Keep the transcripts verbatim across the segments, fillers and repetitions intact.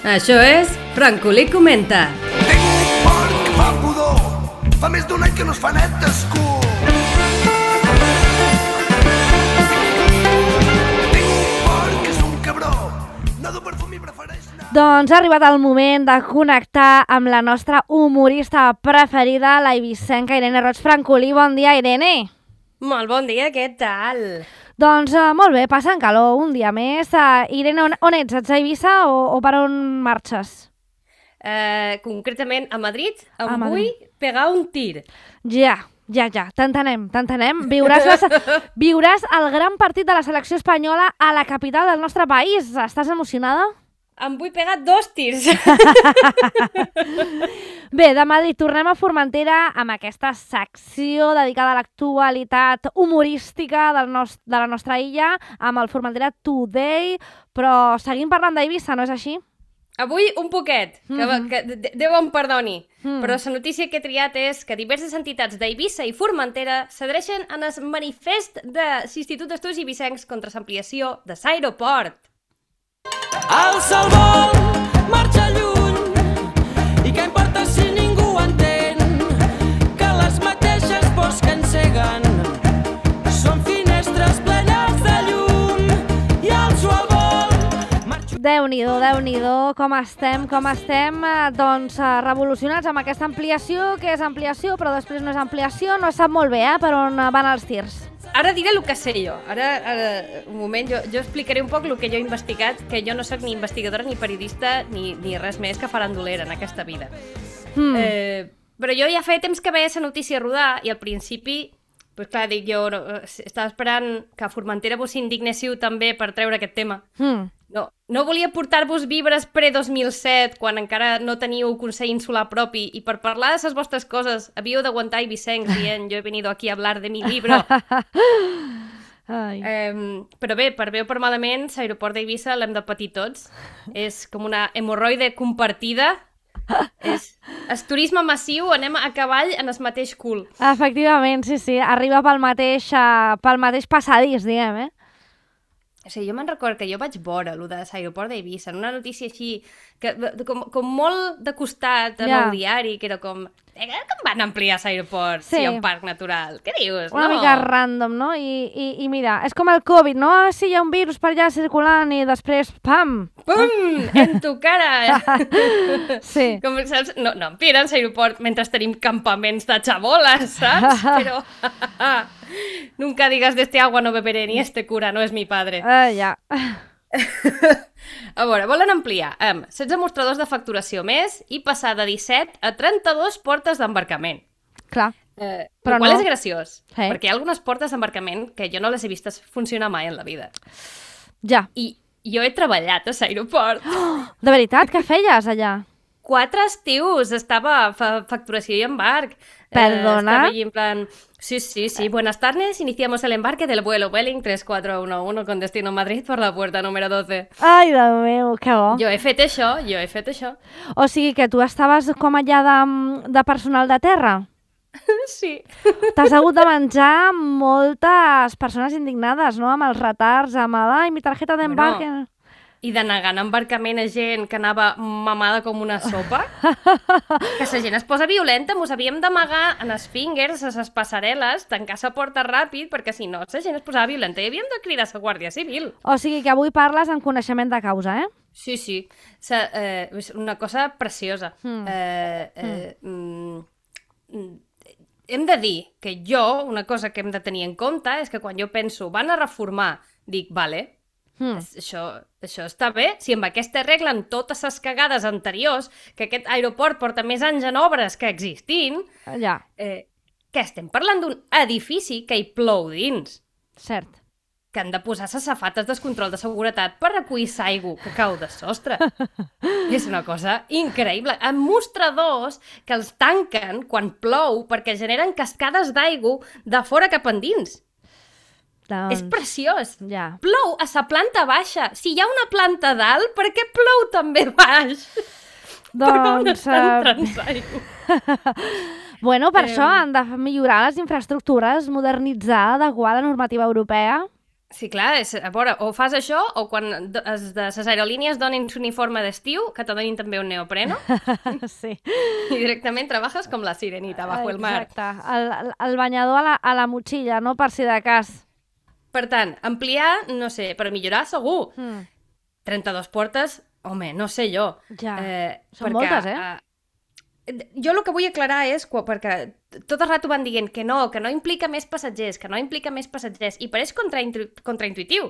Això és Francolí Comenta. Tinc un porc que fa pudor, fa més d'un any que no es fa net d'escur. Tinc un porc que és un cabró, no du perfum i prefereix anar. Doncs ha arribat el moment de connectar amb la nostra humorista preferida, la eivissenca Irene Roig Francolí. Bon dia, Irene. Molt bon dia, què tal? Doncs uh, molt bé, passant calor un dia més. Uh, Irene, on, on ets? Ets a Eivissa o, o per on marxes? Uh, concretament a Madrid, em A vull Madrid. pegar un tir. Ja, ja, ja, t'entenem, t'entenem. Viuràs, la, viuràs el gran partit de la selecció espanyola a la capital del nostre país. Estàs emocionada? Em vull pegar dos tirs. Bé, de Madrid tornem a Formentera amb aquesta secció dedicada a l'actualitat humorística del nos de la nostra illa, amb el Formentera Today, però seguim parlant d'Eivissa, no és així? Avui un poquet, que, Mhm. que de- Déu em perdoni, Mm. però la notícia que he triat és que diverses entitats d'Eivissa i Formentera s'adreixen en el manifest de l'Institut d'Estudis Eivissencs contra l'ampliació de l'aeroport. Alça el vol, marxa lluny, i què importa si ningú entén que les mateixes pors que enceguen són finestres plenes de llum i alço el vol, marxo... Déu-n'hi-do, Déu-n'hi-do, com estem, com estem, eh, doncs eh, revolucionats amb aquesta ampliació, que és ampliació, però després no és ampliació, no sap molt bé, eh, per on eh, van els tirs. Ara diré el que sé jo. Ara, ara un moment, jo, jo explicaré un poc el que jo he investigat, que jo no soc ni investigadora, ni periodista, ni, ni res més que farandolera en aquesta vida. Mm. Eh, però jo ja feia temps que veia la notícia rodar i al principi, pues clar, dic jo, no, estava esperant que a Formentera vos indignéssiu també per treure aquest tema. Mm. No, no volia portar-vos vibres pre-dos mil set, quan encara no teníeu Consell Insular propi, i per parlar de les vostres coses havíeu d'aguantar eivissencs dient jo he venido aquí a hablar de mi libro. Ai. Eh, però bé, per bé o per malament, l'aeroport d'Eivissa l'hem de patir tots. És com una hemorroide compartida. És el turisme massiu, anem a cavall en el mateix cul. Efectivament, sí, sí, arriba pel mateix, uh, pel mateix passadís, diguem, eh? O sigui, jo me'n recordo que jo vaig veure allò de l'aeroport d'Eivissa, en una notícia així, que, com, com molt de costat en Ja. el diari, que era com, eh, com van ampliar l'aeroport Sí. si hi ha un parc natural? Què dius? Una no. mica random, no? I, i, I mira, és com el Covid, no? Ah, sí, hi ha un virus per allà circulant i després, pam! Pum! En tu cara! Sí. Com, saps? No, no ampliaran l'aeroport mentre tenim campaments de xaboles, saps? Però nunca digas de este agua no beberé ni este cura no és mi padre. Ah, ja. A veure, volen ampliar amb setze mostradors de facturació més i passar de disset a trenta-dos portes d'embarcament. Clar. Eh, Però el qual no. és graciós, Sí. perquè hi ha algunes portes d'embarcament que jo no les he vistes funcionar mai en la vida. Ja. I jo he treballat a l'aeroport. De veritat, què feies allà? Quatre estius estava a fa facturació i embarc. Perdona? Eh, estava allí en plan, sí, sí, sí, buenas tardes, iniciamos el embarque del vuelo Vueling tres cuatro uno uno con destino Madrid por la puerta número doce. Ai, Déu meu, que bo. Jo he fet això, jo he fet això. O sigui que tu estaves com allà de, de personal de terra? Sí. T'has hagut de menjar moltes persones indignades, no? Amb els retards, amb el... Ai, mi tarjeta d'embarque... Bueno. I de negar en embarcament a gent que anava mamada com una sopa. Que la gent es posa violenta, mos havíem d'amagar en els fingers, a les passarel·les, tancar la porta ràpid, perquè si no, la gent es posava violenta i havíem de cridar la Guàrdia Civil. O sigui que avui parles en coneixement de causa, eh? Sí, sí. Sa, eh, és una cosa preciosa. Mm. Eh, eh, mm. Mm, hem de dir que jo, una cosa que hem de tenir en compte és que quan jo penso van a reformar, dic, vale, Mm. això, això està bé, si amb aquesta regla en totes les cagades anteriors, que aquest aeroport porta més anys en obres que existint, Ja, eh, que estem parlant d'un edifici que hi plou dins, cert. que han de posar les safates de control de seguretat per recollir l'aigua que cau de sostre. És una cosa increïble. Amb mostradors que els tanquen quan plou perquè generen cascades d'aigua de fora cap endins. Doncs... És preciós. Ja. Plou a la planta baixa. Si hi ha una planta dalt, per què plou també baix? Doncs... Per on eh, entrant l'aigua? Bueno, per Eh, això han de millorar les infraestructures, modernitzar, adequar la normativa europea. Sí, clar, és, a veure, o fas això, o quan do- es de les aerolínies donin l'uniforme d'estiu, que te donin també un neopreno, Sí. i directament treballes com la sirenita bajo el mar. Exacte. El, el, el banyador a la, a la motxilla, no? Per si de cas. Per tant, ampliar, no sé, per millorar segur. Mm. trenta-dos portes, home, no sé jo. Ja. Eh, Són moltes, eh? eh, jo el que vull aclarar és, quan, perquè tot el rato van dient que no, que no implica més passatgers, que no implica més passatgers, i pareix contraintu contraintuitiu.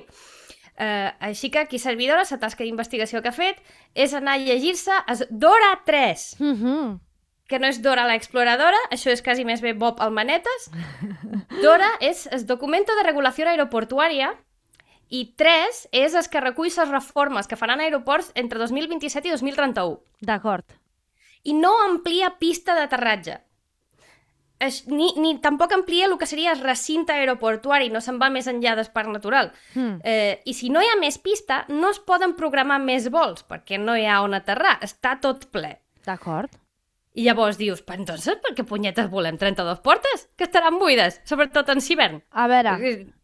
Eh, així que aquí servidora, la tasca d'investigació que ha fet és anar a llegir-se es Dora tres, Mm-hmm. que no és Dora la exploradora, això és quasi més bé Bob el manetes. Dora és el documento de regulació aeroportuària, i tres és el que recull les reformes que faran aeroports entre dos mil vint-i-set i dos mil trenta-u. D'acord. I no amplia pista d'aterratge. Es, ni, ni tampoc amplia el que seria el recinte aeroportuari, no se'n va més enllà del parc natural. Mm. Eh, I si no hi ha més pista, no es poden programar més vols, perquè no hi ha on aterrar, està tot ple. D'acord. I llavors dius, però entonces per què punyetes volem trenta-dos portes? Que estaran buides, sobretot en hivern. A veure...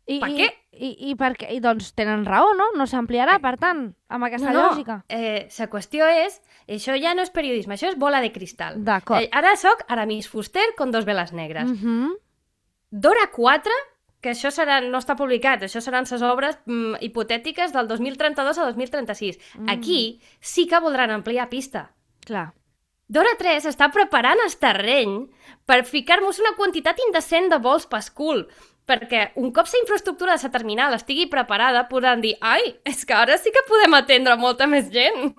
I, I, per i, què? I, i, per què? I doncs tenen raó, no? No s'ampliarà, per tant, amb aquesta no, lògica. No, eh, la qüestió és, això ja no és periodisme, això és bola de cristal. D'acord. Eh, ara soc Aramis Fuster con dos veles negres. Mm -hmm. Dora quatre, que això serà, no està publicat, això seran les obres mm, hipotètiques del dos mil trenta-dos a dos mil trenta-sis. Mm. Aquí sí que voldran ampliar pista. Clar. Dora tres està preparant el terreny per ficar-nos una quantitat indecent de vols pascul, perquè un cop la infraestructura de la terminal estigui preparada, podran dir, ai, és que ara sí que podem atendre molta més gent.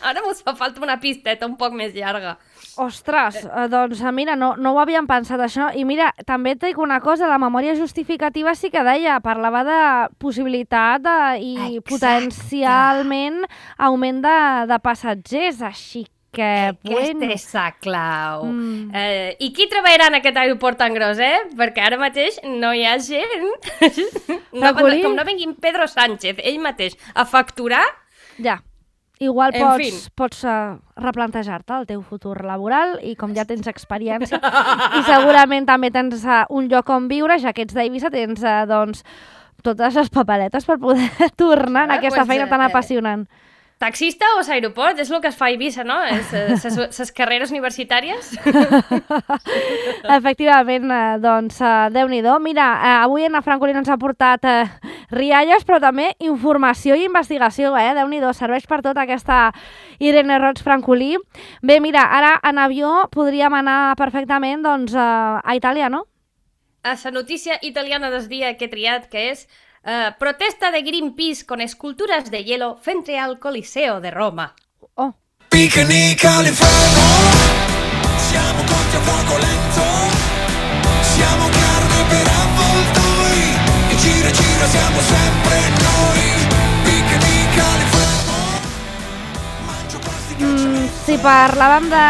Ara mos fa falta una pisteta un poc més llarga. Ostres, eh, doncs mira, no, no ho havíem pensat això. I mira, també et dic una cosa, la memòria justificativa sí que deia, parlava de possibilitat de, i Exacte. potencialment augment de, de passatgers, així que, Aquesta bueno... és la clau. Mm. Eh, I qui treballarà en aquest aeroport tan gros, eh? Perquè ara mateix no hi ha gent. No, Francolí? com no vinguin Pedro Sánchez, ell mateix, a facturar, Ja, igual En pots, fin. pots uh, replantejar-te el teu futur laboral i com ja tens experiència i segurament també tens uh, un lloc on viure, ja que ets d'Eivissa, tens uh, doncs, totes les paperetes per poder tornar en Ah, aquesta pues, feina tan eh, apassionant. taxista o l'aeroport, és el que es fa a Eivissa, no? Les carreres universitàries. Efectivament, eh, doncs, eh, Déu-n'hi-do. Mira, eh, avui en Francolí ens ha portat eh, rialles, però també informació i investigació, eh? Déu-n'hi-do, serveix per tot aquesta Irene Roig Francolí. Bé, mira, ara en avió podríem anar perfectament doncs, eh, a Itàlia, no? A la notícia italiana del dia que he triat, que és uh, protesta de Greenpeace con esculturas de hielo frente al Coliseo de Roma. Oh, Picnic all'inferno, siamo cotti a fuoco lento, siamo carne per avvoltoi, e gira gira siamo sempre noi. Picnic all'inferno, mangio plastica e mm, cemento. si parlàvem de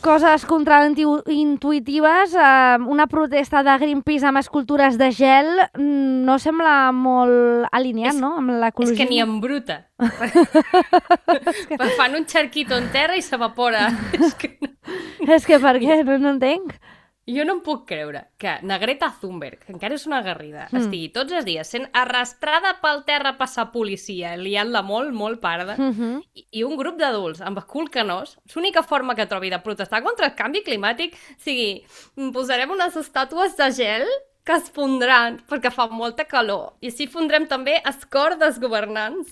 coses contraintuitives, eh, una protesta de Greenpeace amb escultures de gel mm, no sembla molt alineat, És- no?, amb És l'ecologisme. que ni en bruta. Fan un xarquito en terra i s'evapora. És que no. És que per què? No, no entenc. Jo no em puc creure que na Greta Thunberg, que encara és una agarrida, Mm. mm. estigui tots els dies sent arrastrada pel terra per la policia, liant-la molt, molt parda, Mm -hmm. i, i un grup d'adults amb cul canós, l'única forma que trobi de protestar contra el canvi climàtic sigui, posarem unes estàtues de gel que es fondran perquè fa molta calor, i així fondrem també el cor dels governants.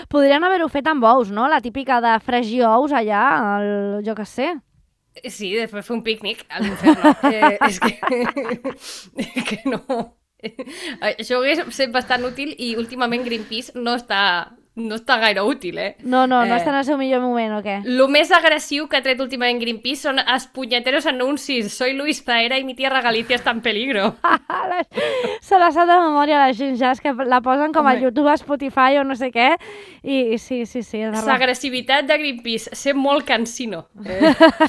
Podrien haver-ho fet amb ous, no? La típica de fregir ous allà, el, jo què sé. Sí, després fer un pícnic a l'inferno. eh, és que... que no... Això hauria estat bastant útil i últimament Greenpeace no està, no està gaire útil, eh? No, no, no Eh, està en el seu millor moment, o què? Lo més agressiu que ha tret últimament Greenpeace són els punyeteros anuncis. Soy Luis Zaera y mi tierra Galicia está en peligro. Se la sap de memòria la gent ja, és que la posen com a Home. YouTube, a Spotify o no sé què, i, i sí, sí, sí. és de raó. L'agressivitat de Greenpeace, ser molt cansino. Eh?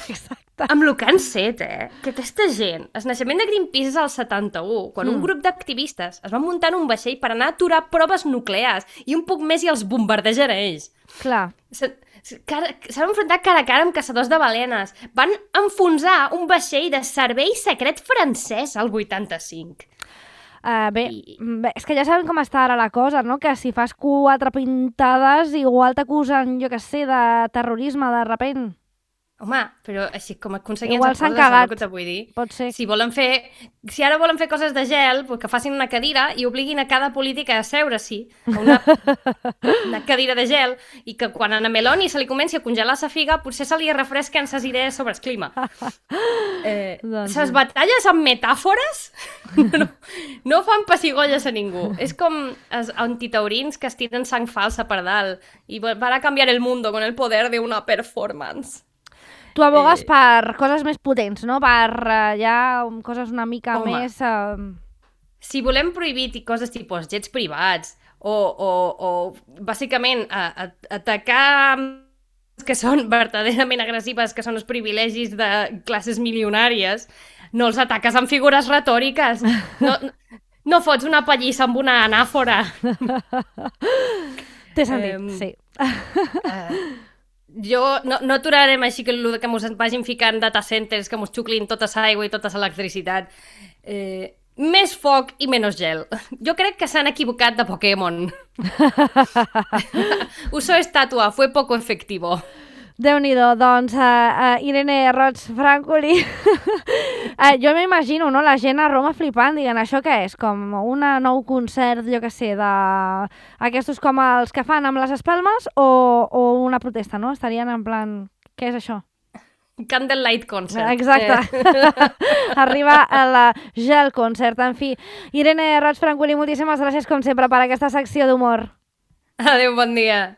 Exacte. Amb lo que han set, eh? Que aquesta gent... El naixement de Greenpeace és al setanta-u, quan Mm. un grup d'activistes es van muntar en un vaixell per anar a aturar proves nuclears i un poc més i els bombardejar a ells. Clar. Se- se- cara- S'han enfrontat cara a cara amb caçadors de balenes. Van enfonsar un vaixell de servei secret francès al vuitanta-cinc. Uh, bé, I- bé, és que ja sabem com està ara la cosa, no? Que si fas quatre pintades igual t'acusen, jo què sé, de terrorisme de repent. Home, però així com aconseguien Igual les s'han coses, saps cagat. el que te vull dir? Pot ser. Si volen fer... Si ara volen fer coses de gel, pues que facin una cadira i obliguin a cada política a seure-s'hi a una, una cadira de gel i que quan a Meloni se li comenci a congelar la figa potser se li refresquen ses idees sobre el clima. Eh, Doncs ses batalles amb metàfores no, no fan pessigolles a ningú. És com els antitaurins que es tiren sang falsa per dalt i van a canviar el mundo con el poder de una performance. Tu abogues Eh, per coses més potents, no? Per uh, ja um, coses una mica Home. més... Uh... Si volem prohibir ti- coses tipus jets privats o, o, o bàsicament a, a, atacar que són verdaderament agressives, que són els privilegis de classes milionàries, no els ataques amb figures retòriques. No, no, no fots una pallissa amb una anàfora. Té sentit, Em, sí. Uh, jo no, no aturarem així que, el que mos vagin ficant data centers, que mos xuclin tota l'aigua i tota l'electricitat. Eh, més foc i menys gel. Jo crec que s'han equivocat de Pokémon. Usó estatua, fue poco efectivo. Déu-n'hi-do, doncs, uh, uh, Irene Roig Francolí, uh, jo m'imagino, no?, la gent a Roma flipant, dient, això què és? Com un nou concert, jo què sé, de... aquests com els que fan amb les espelmes o, o una protesta, no? Estarien en plan, què és això? Candlelight concert. Exacte. Eh. Arriba a la Gel Concert, en fi. Irene Roig Francolí, moltíssimes gràcies, com sempre, per aquesta secció d'humor. Adéu, bon dia.